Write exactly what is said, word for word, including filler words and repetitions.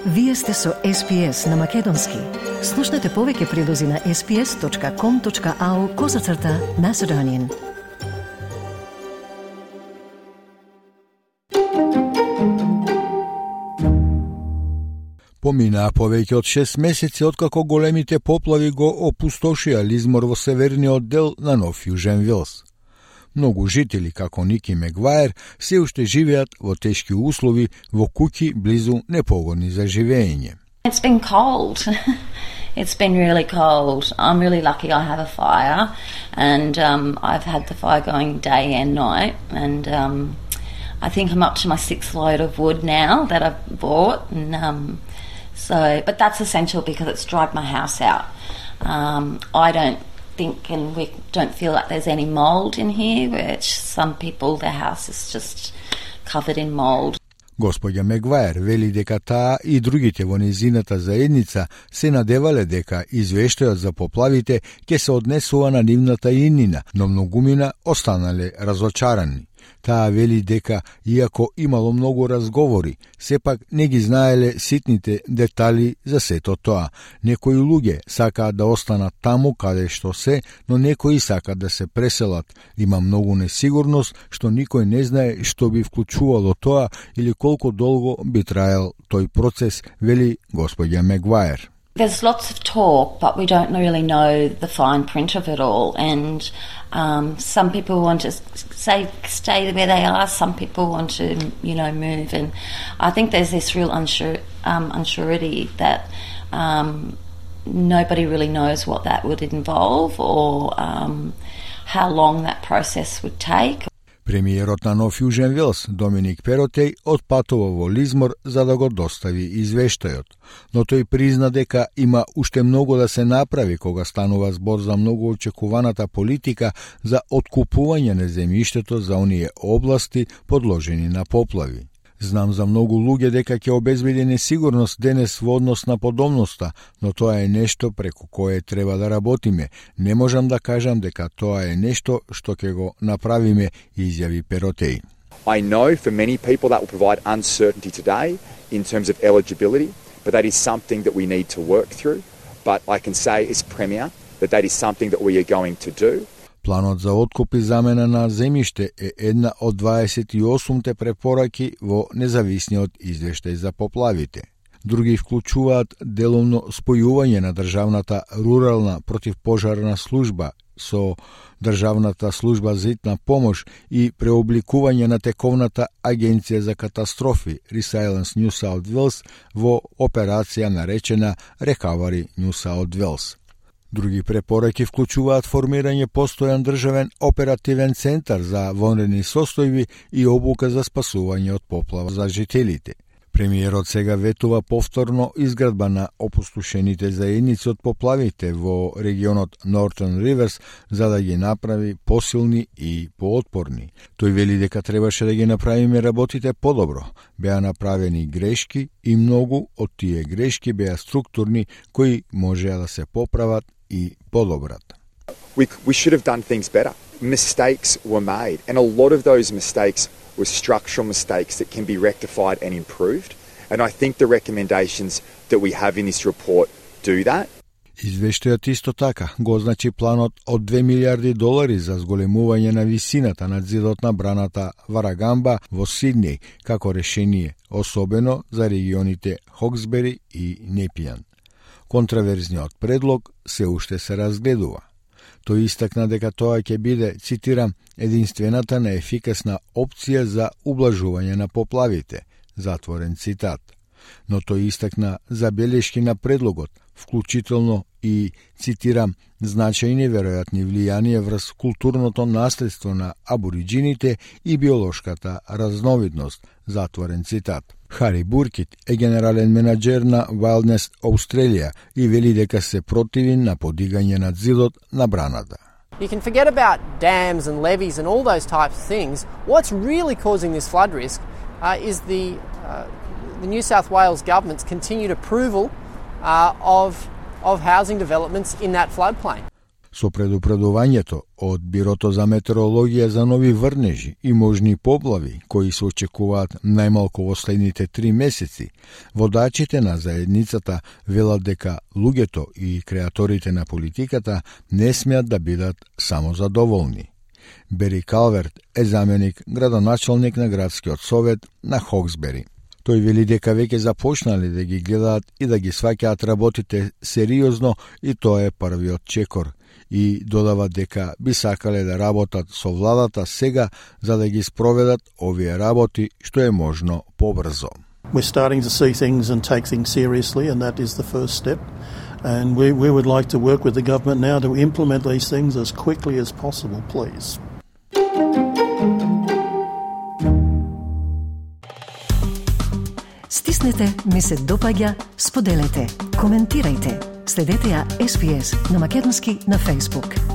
Вие сте со Ес Пи Ес на Македонски. Слушнете повеќе прилози на ес пи ес точка ком точка ау козацрта Macedonian. Поминаа повеќе од шест месеци откако големите поплави го опустошија Лизмор во северниот дел на Нов Јужен Велс. Многу жители, како Ники Мегваер, се уште живеат во тешки услови во куќи близу непогодни за живење. It's been cold. It's been really cold. I'm really lucky I have a fire, and um, I've had the fire going day and night, and um, I think I'm up to my sixth load of wood now that I've bought, and um, so, but that's essential because it's dried my house out. Um, I don't think, and we don't feel like there's any mold in here, which some people, their house is just covered in mold. Господја Мегваер вели дека таа и другите во незината заедница се надевале дека извештајот за поплавите ќе се однесува на нивната иднина, но многумина останале разочарани. Таа вели дека, иако имало многу разговори, сепак не ги знаеле ситните детали за сето тоа. Некои луѓе сакаат да останат таму каде што се, но некои сакаат да се преселат. Има многу несигурност, што никој не знае што би вклучувало тоа или колку долго би траел тој процес, вели господја Мегваер. There's lots of talk, but we don't really know the fine print of it all. And um, some people want to say stay where they are. Some people want to, you know, move. And I think there's this real unsure, um, unsurety that um, nobody really knows what that would involve or um, how long that process would take. Премиерот на Нов Јужен Велс, Доминик Перотеј, отпатува во Лизмор за да го достави извештајот, но тој призна дека има уште многу да се направи кога станува збор за многу очекуваната политика за откупување на земјиштето за оние области подложени на поплави. Знам за многу луѓе дека ќе обезбеди несигурност денес во однос на подобноста, но тоа е нешто преку кое треба да работиме. Не можам да кажам дека тоа е нешто што ќе го направиме, изјави Перотеј. I know for many people that will provide uncertainty today in terms of eligibility, but that is something that we need to work through. But I can say as Premier that that is something that we are going to do. Планот за откуп и замена на земјиште е една од дваесет и осумте препораки во независниот извештај за поплавите. Други вклучуваат деловно спојување на државната рурална противпожарна служба со државната служба за итна помош и преобликување на тековната агенција за катастрофи Resilience New South Wales во операција наречена Recovery New South Wales. Други препораки вклучуваат формирање постојан државен оперативен центар за вонредни состојби и обука за спасување од поплава за жителите. Премиерот сега ветува повторно изградба на опустошените заедници од поплавите во регионот Northern Rivers за да ги направи посилни и поотпорни. Тој вели дека требаше да ги направиме работите подобро. Беа направени грешки и многу од тие грешки беа структурни кои можеа да се поправат и подобрат. We, we should have done things better. Mistakes were made, and a lot of those mistakes were structural mistakes that can be rectified and improved. And I think the recommendations that we have in this report do that. Извештајот исто така го означи планот од две милиарди долари за зголемување на висината на зидот на браната Варагамба во Сиднеј како решение, особено за регионите Хоксбери и Непијан. Контраверзниот предлог се уште се разгледува. Тој истакна дека тоа ќе биде, цитирам, единствената неефикасна опција за ублажување на поплавите, затворен цитат. Но тој истакна забелешки на предлогот, вклучително и, цитирам, значајни веројатни влијанија врз културното наследство на абориджините и биолошката разновидност, затворен цитат. Хари Буркит е генерален менаџер на Wilderness Australia и вели дека се противи на подигање на зидот на браната. You can forget about dams and levees and all those types of things. What's really causing this flood risk uh, is the, uh, the New South Wales government's continued approval uh, of, of housing developments in that floodplain. Со предупредувањето од Бирото за метеорологија за нови врнежи и можни поплави, кои се очекуваат најмалку во следните три месеци, водачите на заедницата велат дека луѓето и креаторите на политиката не смеат да бидат само задоволни. Бери Калверт е заменик градоначалник на градскиот совет на Хоксбери. Тој вели дека веќе започнале да ги гледаат и да ги сваќаат работите сериозно и тоа е првиот чекор. И додава дека би сакале да работат со владата сега за да ги спроведат овие работи што е можно побрзо. We're starting to see things and take things seriously, and that is the first step. And we, we would like to work with the government now to implement these things as quickly as possible, please. Стиснете, ми се допаѓа, споделете, коментирајте. Следете ја Ес Би Ес на македонски на Facebook.